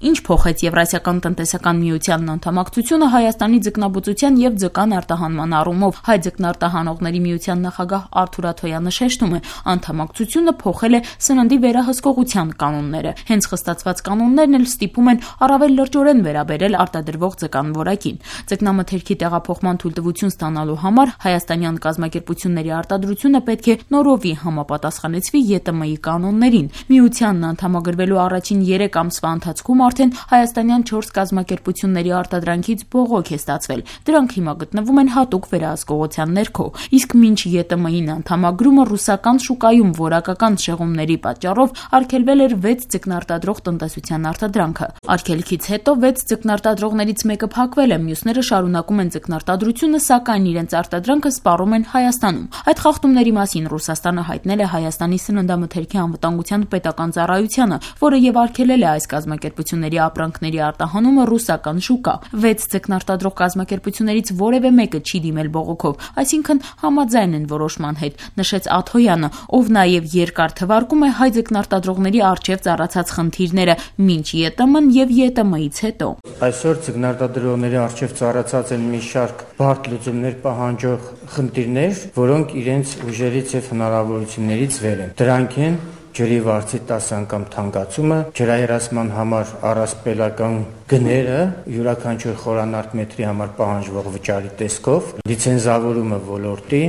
Ինչ փոխեց Եվրասիական տնտեսական միությանն անդամակցությունը Հայաստանի ձկնաբուծության եւ ձկան արտահանման առումով։ Հայ ձկնարտահանողների միության նախագահ Արթուր Աթոյանը շեշտում է, անդամակցությունը փոխել է սննդի վերահսկողության կանոնները։ Հենց խստացված կանոններն էլ ստիպում են առավել լրջորեն վերաբերել արտադրվող ձկան որակին։ Ձկնամթերքի տեղափոխման թույլտվություն ստանալու համար հայաստանյան կազմակերպությունների արտադրությունը պետք է նորովի համապատասխանեցվի ԵՏՄ-ի կանոններին։ Միությանն անդամագրվելու առաջին 3 ամսվա ընթացքում արդեն հայաստանյան 4 կազմակերպությունների արտադրանքից բողոք է ստացվել։ Դրանք հիմա գտնվում են հատուկ վերահսկողության ներքո։ Իսկ մինչ ԵՏՄ-ին անդամագրումը ռուսական շուկայում որակական շեղումների պատճառով արգելվել էր 6 ձկնարտադրող տնտեսության արտադրանքը։ Արգելքից հետո 6 ձկնարտադրողներից մեկը փակվել է, մյուսները շարունակում են ձկնարտադրությունը, սակայն իրենց արտադրանքը սպառում են Հայաստանում։ Այդ խախտումների մասին Ռուսաստանը հայտնել է Հայաստանի սննդամթերքի անվտանգության պետական ծառայությանը, որը եւ արգելել է այս կազմակերպությունների ապրանքների արտահանումը ռուսական շուկա։ 6 ձկնարտադրող կազմակերպություններից որևէ մեկը չի դիմել բողոքով, այսինքն համաձայն են որոշման հետ, նշեց Աթոյանը, ով նաեւ երկար թվարկում է հայ ձկնարտադրողների առջև ծառացած խնդիրները մինչ ԵՏՄ-ն եւ ԵՏՄ-ից հետո։ Այսօր ձկնարտադրողների առջև ծառացած են մի շարք բարդ լուծումներ պահանջող խնդիրներ, որոնք իրենց ուժերից եւ հնարավորություններից վեր են։ Դրանք են ջրի վարձի 10 անգամ թանկացումը, ջրահեռացման համար առասպելական գները յուրաքանչյուր խորանարդ մետրի համար պահանջվող վճարի տեսքով, լիցենզավորումը ոլորտի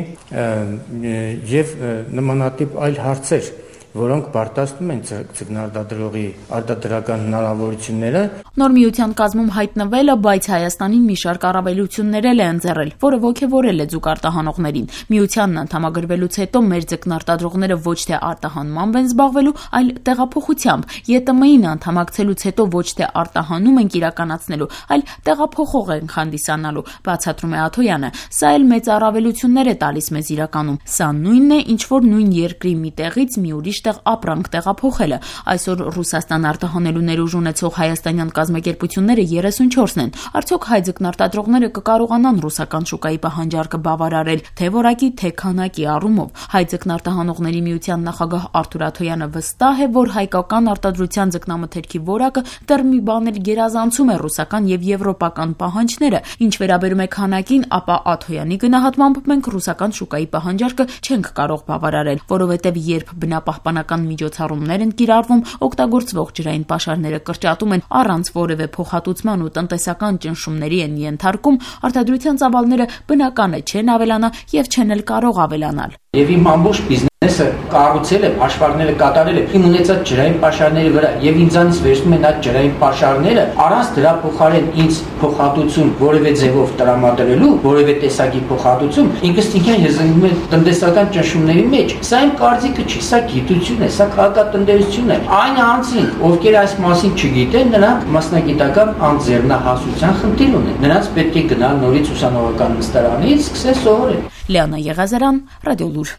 եւ նմանատիպ այլ հարցեր, որոնք բարտացնում են ձկնարտադրողի արտադրական հնարավորությունները։ Նոր միության կազմում հայտնվելը, բայց Հայաստանին մի շարք առավելություններ էլ է ընձեռել, որը ոգևորել է ձուկ արտահանողներին։ Միությանն անդամագրվելուց հետո մեր ձկնարտադրողները ոչ թե արտահանմամբ են զբաղվելու, այլ տեղափոխությամբ։ ԵՏՄ-ին անդամակցելուց հետո ոչ թե արտահանում ենք իրականացնելու, այլ տեղափոխող ենք հանդիսանալու, բացատրում է Աթոյանը։ Սա էլ մեծ առավելություններ է տալիս մեզ իրականում։ Սա նույնն է, ինչ որ նույն երկրի մի տեղից մի ուրիշ տեղ ապրանք տեղափոխելը։ Այսօր Ռուսաստան արտահանելու ներուժ ունեցող հայաստանյան կազմակերպությունները 34-ն են։ Արդյոք հայ ձկնարտադրողները կկարողանան ռուսական շուկայի պահանջարկը բավարարել թե որակի, թե քանակի առումով։ Հայ ձկնարտահանողների միության նախագահ Արթուր Աթոյանը վստահ է, որ հայկական արտադրության ձկնամթերքի որակը դեռ մի բան էլ գերազանցում է ռուսական եւ եվրոպական պահանջները։ Ինչ վերաբերում է քանակին, ապա Աթոյանի գնահատմամբ մենք ռուսական շուկայի պահանջարկը չենք կարող բավարարել, որովհետեւ երբ բնապահպանական միջոցառումներ են կիրառվում, օգտագործվող ջրային պաշարները կրճատում են առանց որևէ փոխհատուցման ու տնտեսական ճնշումների են ենթարկում, արտադրության ծավալները բնական է չեն ավելանա եւ չեն էլ կարող ավելանալ։ Եվ իմ ամբողջ բիզնեսը կառուցել եմ, հաշվարկները կատարել եմ իմ ունեցած ջրային պաշարների վրա եւ ինձանից վերցնում են այդ ջրային պաշարները առանց դրա փոխարեն ինձ փոխհատուցում որևէ ձևով տրամադրելու, որևէ տեսակի փոխհատուցում, ինքս ինքն ես զննում եմ տնտեսական ճնշումների մեջ։ Սա իմ կարծիքը չի, սա գիտություն է, սա քաղաքատնտեսություն է։ Այն անձին, ովքեր այս մասին չգիտեն, նրանք մասնագիտական անձեռնահասության խնդիր ունեն։ Նրանց պետք է գնալ նորից ուսանողական նստարանից, սկսել սովորել։ Լիանա Եղազարյան, Ռադիոլուր։